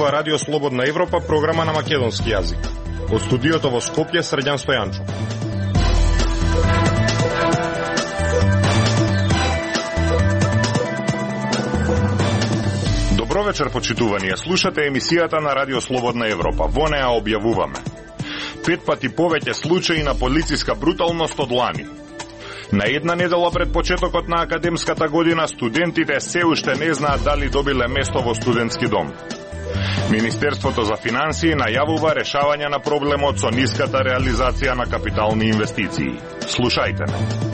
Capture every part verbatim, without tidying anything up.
ова Радио Слободна Европа, програма на македонски јазик. Од студиото во Скопје, Срđan Стојанчов. Добро вечер, почитувани. Слушате емисијата на Радио Слободна Европа. Во неа објавуваме пет пати повеќе случаи на полициска бруталност од лани. На една недела пред почетокот на академската година, студентите се уште не знаат дали добиле место во студентски дом. Министерството за финансии најавува решавање на проблемот со ниската реализација на капитални инвестиции. Слушајте ме.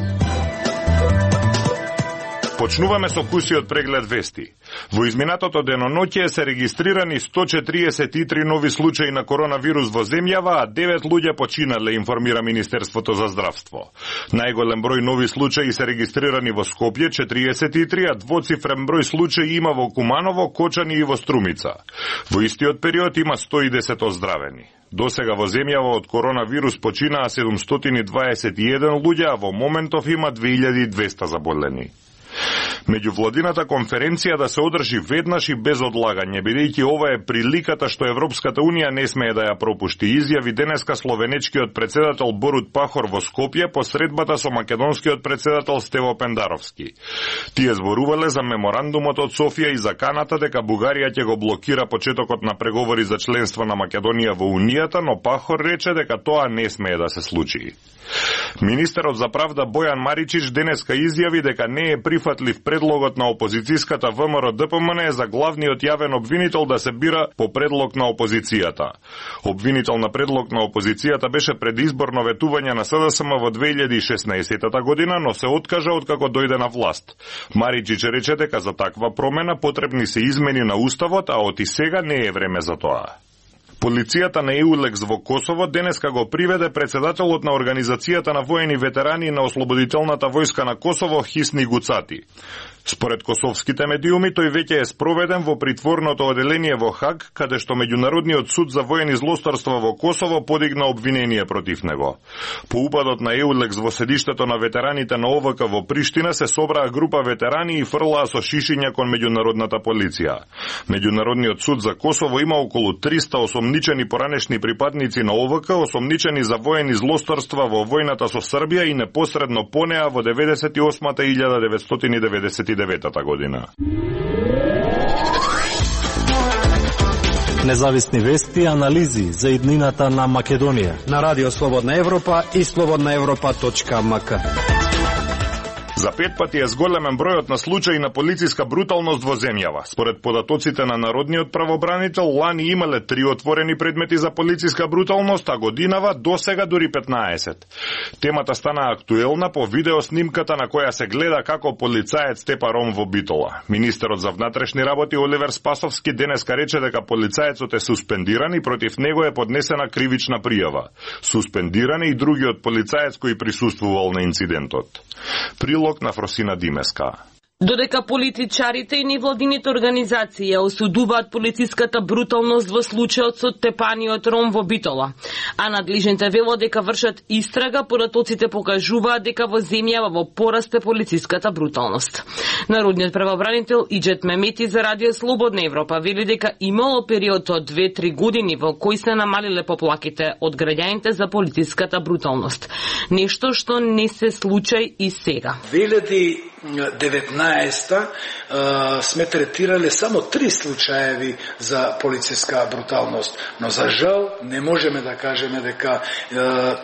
Почнуваме со кусиот преглед вести. Во изминатото деноноќе се регистрирани сто четириесет и три нови случаи на коронавирус во земјава, а девет луѓе починале, информира Министерството за здравство. Најголем број нови случаи се регистрирани во Скопје, четириесет и три, а двоцифрен број случаи има во Куманово, Кочани и во Струмица. Во истиот период има сто и десет оздравени. Досега во земјава од коронавирус починаа седумстотини дваесет и еден луѓе, а во моментов има две илјади и двесте заболени. Меѓувладината конференција да се одржи веднаш и без одлагање, бидејќи ова е приликата што Европската унија не смее да ја пропушти, изјави денеска словенечкиот председател Борут Пахор во Скопје по средбата со македонскиот председател Стево Пендаровски. Тие зборувале за меморандумот од Софија и заканата дека Бугарија ќе го блокира почетокот на преговори за членство на Македонија во Унијата, но Пахор рече дека тоа не смее да се случи. Министерот за правда Бојан Маричич денеска изјави дека не е прифатлив предлогот на опозицијската ВМРО-ДПМН за главниот јавен обвинител да се бира по предлог на опозицијата. Обвинител на предлог на опозицијата беше предизборно ветување на СДСМ во две илјади и шеснаесетта година, но се откажа откако дојде на власт. Маричич рече дека за таква промена потребни се измени на уставот, а оти сега не е време за тоа. Полицијата на Еулекс во Косово денеска го приведе председателот на Организацијата на воени ветерани на Ослободителната војска на Косово Хисни Гуцати. Според косовските медиуми, тој веќе е спроведен во притворното оделение во Хаг, каде што Меѓународниот суд за воени злосторства во Косово подигна обвинение против него. По упадот на Еулекс во седиштето на ветераните на О В К во Приштина се собраа група ветерани и фрлаа со шишиња кон меѓународната полиција. Меѓународниот суд за Косово има околу триста осомничени поранешни припадници на О В К, осомничени за воени злосторства во војната со Србија и непосредно по неа во деветдесет и осмата и илјада деветстотини деветдесет и деветата година. Независни вести и анализи за иднината на Македонија на Радио Слободна Европа и слободна европа точка ем ка. За пет пати е зголемен бројот на случаи на полициска бруталност во земјава. Според податоците на Народниот правобранител, лани имале три отворени предмети за полициска бруталност, а годинава досега дури петнаесет. Темата стана актуелна по видеоснимката на која се гледа како полицаец тепа ром во Битола. Министерот за внатрешни работи Оливер Спасовски денеска рече дека полицаецот е суспендиран и против него е поднесена кривична пријава. Суспендиран е и другиот полицаец кој присуствувал на инцидентот. Прилог на Фросина Димеска. Додека политичарите и невладините организации ја осудуваат полициската бруталност во случајот со тепаниот ром во Битола, а надлежните велат дека вршат истрага, податоците покажуваат дека во земјава во порасте полициската бруталност. Народниот правобранител Иџет Мемети за Радио Слободна Европа вели дека имало период од две-три години во кој се намалиле поплаките од граѓаните за полициската бруталност. Нешто што не се случај и сега. две илјади и деветнаесета сме третирале само три случаеви за полициска бруталност, но за жал не можеме да кажеме дека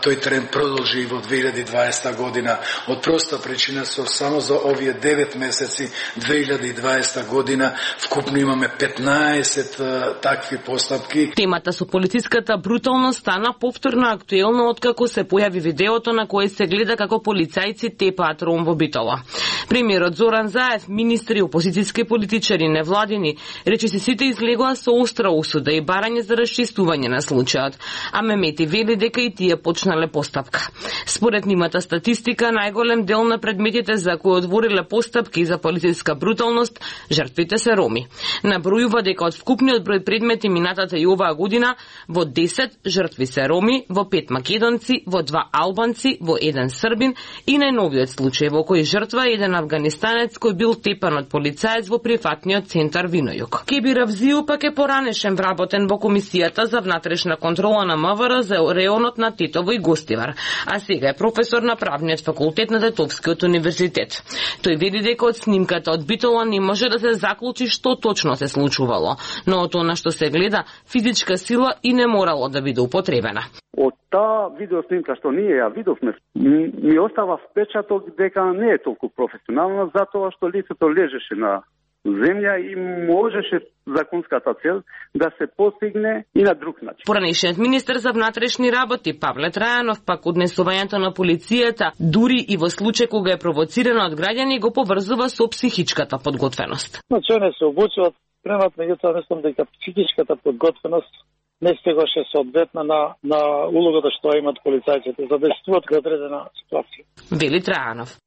тој тренд продолжи и во две илјади и дваесета година. Од проста причина со само за овие девет месеци две илјади и дваесета година вкупно имаме петнаесет такви постапки. Темата со полициската бруталност стана повторно актуелна откако се појави видеото на кое се гледа како полицајци тепаат ром во Битола. Премиерот Зоран Заев, министри, опозицијски политичари, невладини, рече се сите излегоа со остра осуда и барање за расчистување на случајот, а Мемети вели дека и тие почнале постапка. Според нимата статистика, најголем дел на предметите за кои отвориле постапки за полициска бруталност, жртвите се роми. Набројува дека од вкупниот број предмети минатата и оваа година, во десет жртви се роми, во пет македонци, во два албанци, во еден србин и најновиот случај во кој жртва е еден освободен афганистанец кој бил тепан од полицаец во прифатниот центар Винојук. Кебир Авзију пак е поранешен вработен во комисијата за внатрешна контрола на МВР за реонот на Тетово и Гостивар, а сега е професор на правниот факултет на Тетовскиот универзитет. Тој вели дека од снимката од Битола не може да се заклучи што точно се случувало, но од она што се гледа, физичка сила и не морало да биде употребена. Од таа видеоснимка што ние ја видовме, ми остава впечаток дека не е толку професионална, затоа што лицето лежеше на земја и можеше законската цел да се постигне и на друг начин. Поранешниот министер за внатрешни работи Павле Трајанов пак однесувањето на полицијата, дури и во случај кога е провоцирана од граѓани, го поврзува со психичката подготвеност. Значи, не се обучуваат, премат, меѓутоа мислам дека психичката подготвеност не стигаше соодветна на, на улогата што имаат полицајците за да действуваат во одредена ситуација. Вели Трајанов.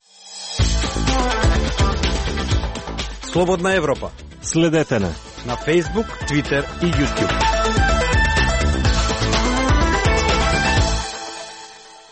Слободна Европа. Следете на на Facebook, Twitter и YouTube.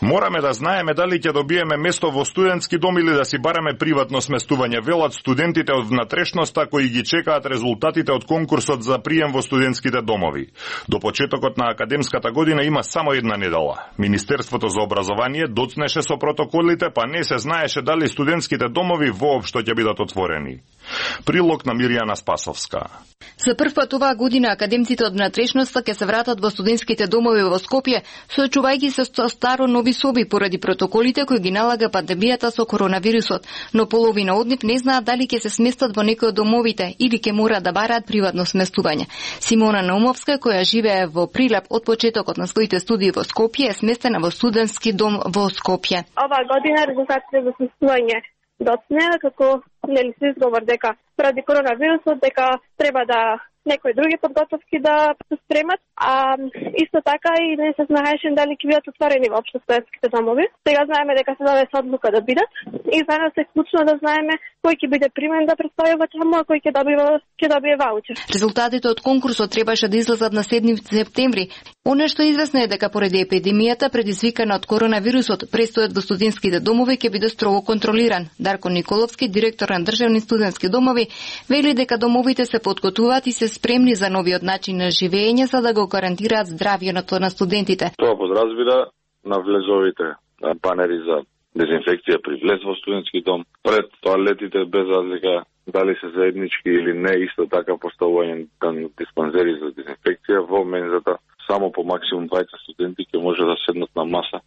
Мораме да знаеме дали ќе добиеме место во студентски дом или да си бараме приватно сместување, велат студентите од внатрешноста кои ги чекаат резултатите од конкурсот за прием во студентските домови. До почетокот на академската година има само една недела. Министерството за образование доцнеше со протоколите, па не се знаеше дали студентските домови воопшто ќе бидат отворени. Прилог на Миријана Спасовска. За прв пат оваа година академците од внатрешноста ќе се вратат во студентските домови во Скопје, соочувајќи се со старо нови соби поради протоколите кои ги налага пандемијата со коронавирусот, но половина од нив не знаат дали ќе се сместат во некој од домовите или ќе мораат да бараат приватно сместување. Симона Наумовска, која живее во Прилеп од почетокот на своите студии во Скопје, е сместена во студентски дом во Скопје. Оваа година резултатите за сместување доцнеа како нели се изговор дека поради коронавирусот дека треба да некои други подготовки да се спремат, а исто така и не се знаеше дали ќе бидат отворени воопшто студентските домови. Сега знаеме дека се донесе одлука да бидат и за нас е клучно да знаеме кој ќе биде примен да представува таму, а кој ќе добива ќе добие ваучер. Резултатите од конкурсот требаше да излезат на седми септември. Оно што е известно е дека поради епидемијата предизвикана од коронавирусот, престојот во студентските домови ќе биде строго контролиран. Дарко Николовски, директор на државни студентски домови, вели дека домовите се подготвуваат и се спремни за новиот начин на живење за да го гарантираат здравјето на студентите. Тоа подразбира на влезовите панери за дезинфекција при влез во студентски дом, пред тоалетите без разлика дали се заеднички или не, исто така поставување на диспансери за дезинфекција во мензата. Само по максимум дваесет студенти ќе може да седнат на маса,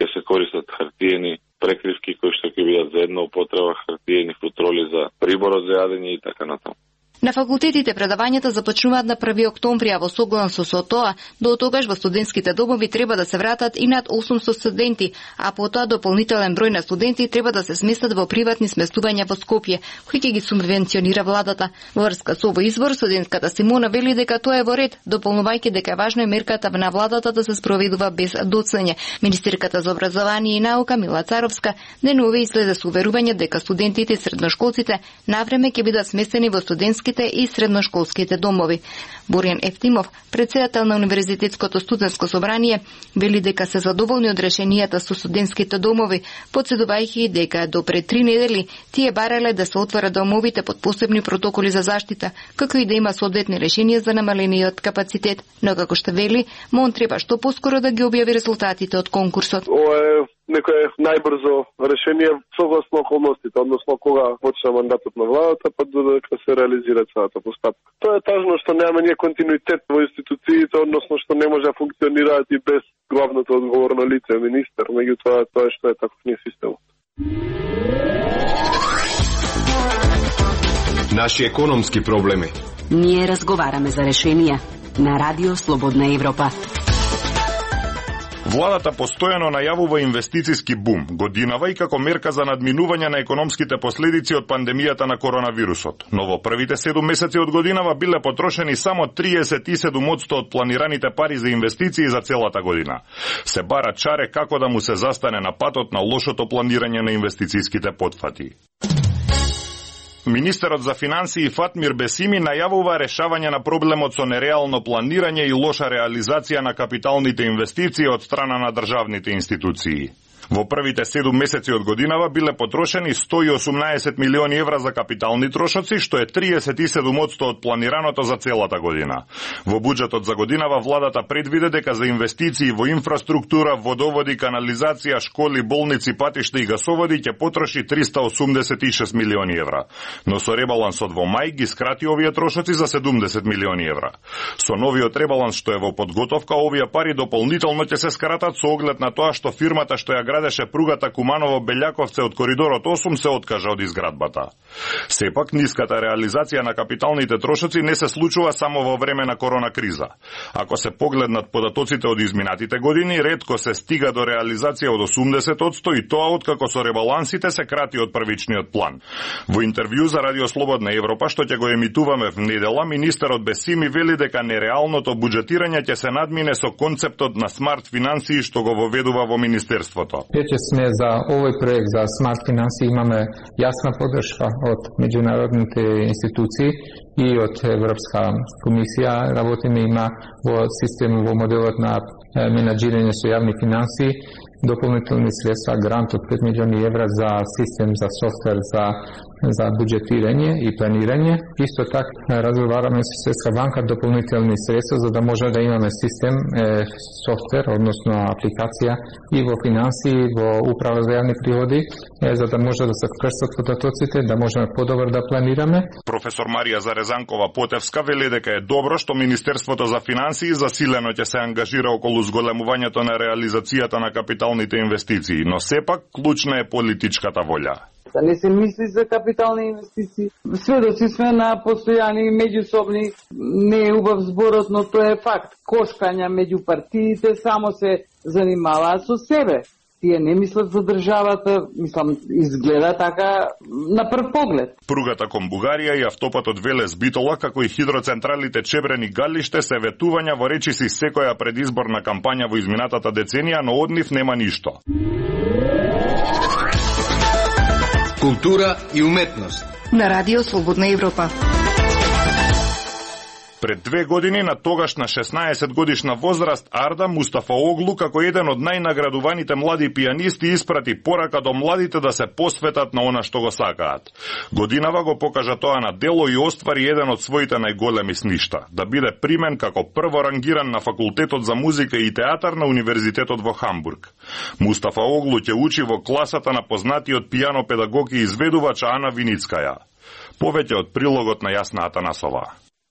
ќе се користат хартиени прекривки кои што ќе бидат за една употреба, хартиени футроли за приборот за јадење и така натаму. На факултетите предавањата започнуваат на први октомври, а во согласно со тоа, до тогаш во студентските домови треба да се вратат и над осумстотини студенти, а потоа дополнителен број на студенти треба да се сместат во приватни сместувања во Скопје, кои ќе ги субвенционира владата. Во врска со овој извор, студентката Симона вели дека тоа е во ред, дополнувајќи дека е важно е мерката на владата да се спроведува без доцнење. Министерката за образование и наука Мила Царовска денуве излезе со уверување дека студентите и средношколците навреме ќе бидат сместени во студентски и средношколските домови. Боријан Ефтимов, председател на Универзитетското студентско собрание, вели дека се задоволни од решенијата со студентските домови, потседувајќи дека до пред три недели тие барале да се отворат домовите под посебни протоколи за заштита, како и да има соодветни решенија за намалениот капацитет, но како што вели, МОН треба што поскоро да ги објави резултатите од конкурсот. Ова е некое најбрзо решение согласно околностите, односно кога почна мандатот на владата, па додека се реализира целата постапка. Тоа е тажно што немаме ние континуитет во институциите, односно што не може да функционираат и без главното одговорно лице, министер, меѓутоа тоа е што е таков не системот. Наши економски проблеми. Ние разговараме за решенија на Радио Слободна Европа. Владата постојано најавува инвестициски бум, годинава и како мерка за надминување на економските последици од пандемијата на коронавирусот. Но во првите седум месеци од годинава биле потрошени само триесет и седум одсто од планираните пари за инвестиции за целата година. Се бара чаре како да му се застане на патот на лошото планирање на инвестицииските потфати. Министерот за финансии Фатмир Бесими најавува решавање на проблемот со нереално планирање и лоша реализација на капиталните инвестиции од страна на државните институции. Во првите седум месеци од годинава биле потрошени сто и осумнаесет милиони евра за капитални трошоци, што е триесет и седум одсто од планираното за целата година. Во буџетот за годинава владата предвиде дека за инвестиции во инфраструктура, водоводи, канализација, школи, болници, патишта и гасоводи ќе потроши триста осумдесет и шест милиони евра. Но со ребалансот во мај ги скрати овие трошоци за седумдесет милиони евра. Со новиот ребаланс што е во подготовка, овие пари дополнително ќе се скратат со оглед на тоа што фирмата што ја градеше пругата Куманово-Белјаковце од коридорот осум се откажа од изградбата. Сепак, ниската реализација на капиталните трошоци не се случува само во време на корона криза. Ако се погледнат податоците од изминатите години, ретко се стига до реализација од осумдесет одсто и тоа откако со ребалансите се крати од првичниот план. Во интервју за Радио Слободна Европа, што ќе го емитуваме в недела, министерот Бесими вели дека нереалното буџетирање ќе се надмине со концептот на смарт финансии што го воведува во министерството. Веќе сме за овој проект за смарт финансии имаме јасна поддршка од меѓународните институции и од Европска комисија. Работиме има во систем во моделот на менаџирање со јавни финансии, дополнителни средства, грант од пет милиони евра за систем за софтвер за за буџетирање и планирање. Исто така разговараме со Светска банка дополнителни средства за да може да имаме систем е, софтвер, односно апликација и во финансии, во управа за јавни приходи, е, за да може да се вкрстат податоците, да можеме подобро да планираме. Професор Марија Зарезанкова-Потевска вели дека е добро што Министерството за финансии засилено ќе се ангажира околу зголемувањето на реализацијата на капиталните инвестиции, но сепак клучна е политичката волја. Да не се мисли за капитални инвестиции. Сведоци сме на постојани меѓусобни, не е убав зборот, но тоа е факт. Кошкања меѓу партиите само се занимаваат со себе. Тие не мислат за државата, мислам, изгледа така на прв поглед. Пругата кон Бугарија и автопатот Велес Битола, како и хидроцентралите Чебрен и Галиште се ветувања во речиси секоја предизборна кампања во изминатата деценија, но од нив нема ништо. Култура и уметност. На Радио Слободна Европа. Пред две години на тогашна шеснаесет годишна возраст Арда Мустафаоглу како еден од најнаградуваните млади пијанисти испрати порака до младите да се посветат на она што го сакаат. Годинава го покажа тоа на дело и оствари еден од своите најголеми сништа, да биде примен како прво рангиран на факултетот за музика и театар на Универзитетот во Хамбург. Мустафаоглу ќе учи во класата на познатиот пијано педагог и изведувач Ана Виницкаја. Повеќе од прилогот на Јасна Атанасова.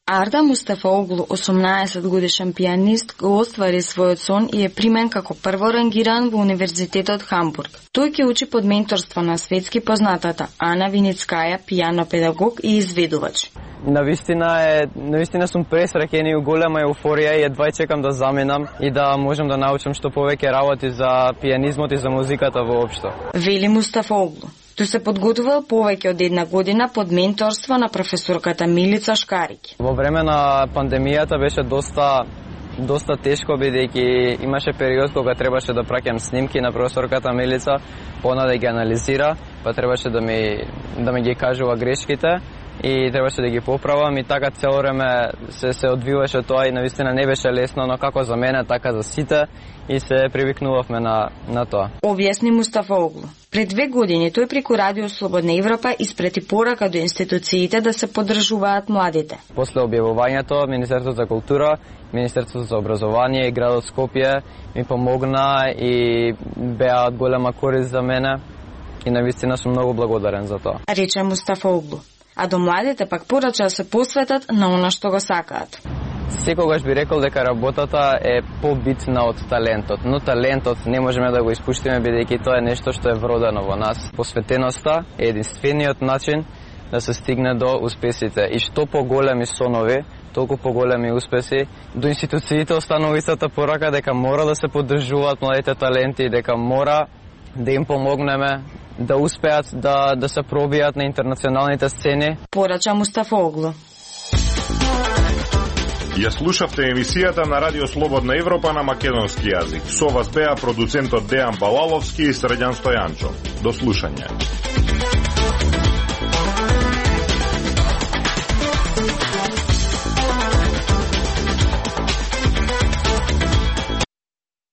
Арда Мустафаоглу, осумнаесет годишен пијанист, го оствари својот сон и е примен како прво рангиран во Универзитетот Хамбург. Тој ќе учи под менторство на светски познатата Ана Виницкаја, пијано педагог и изведувач. Навистина е, навистина сум пресреќен и у голема еуфорија и едва чекам да заменам и да можам да научам што повеќе работи за пијанизмот и за музиката воопшто. Вели Мустафаоглу. Тој се подготвувал повеќе од една година под менторство на професорката Милица Шкарик. Во време на пандемијата беше доста доста тешко, бидејќи имаше период кога требаше да праќам снимки на професорката Милица, она да ги анализира, па требаше да ми да ми ги кажува грешките и требаше да ги поправам и така цело време се се одвиваше тоа и навистина не беше лесно, но како за мене, така за сите и се привикнувавме на на тоа. Објасни Мустафаоглу. Пред две години тој преку Радио Слободна Европа испрети порака до институциите да се поддржуваат младите. После објавувањето, Министерството за култура, Министерството за образование и градот Скопје ми помогна и беа од голема корист за мене и навистина сум многу благодарен за тоа. Рече Мустафаоглу. А до младите пак порача да се посветат на она што го сакаат. Секогаш би рекол дека работата е побитна од талентот, но талентот не можеме да го испуштиме бидејќи тоа е нешто што е вродено во нас. Посветеноста е единствениот начин да се стигне до успесите и што поголеми сонови, толку поголеми успеси. До институциите останува истата порака дека мора да се поддржуваат младите таленти, дека мора да им помогнеме да успеат да да се пробијат на интернационалните сцени. Порача Мустафаоглу. Ја слушавте емисијата на Радио Слободна Европа на македонски јазик. Со вас беа продуцентот Дејан Балаловски и Средјан Стојанчо. До слушање.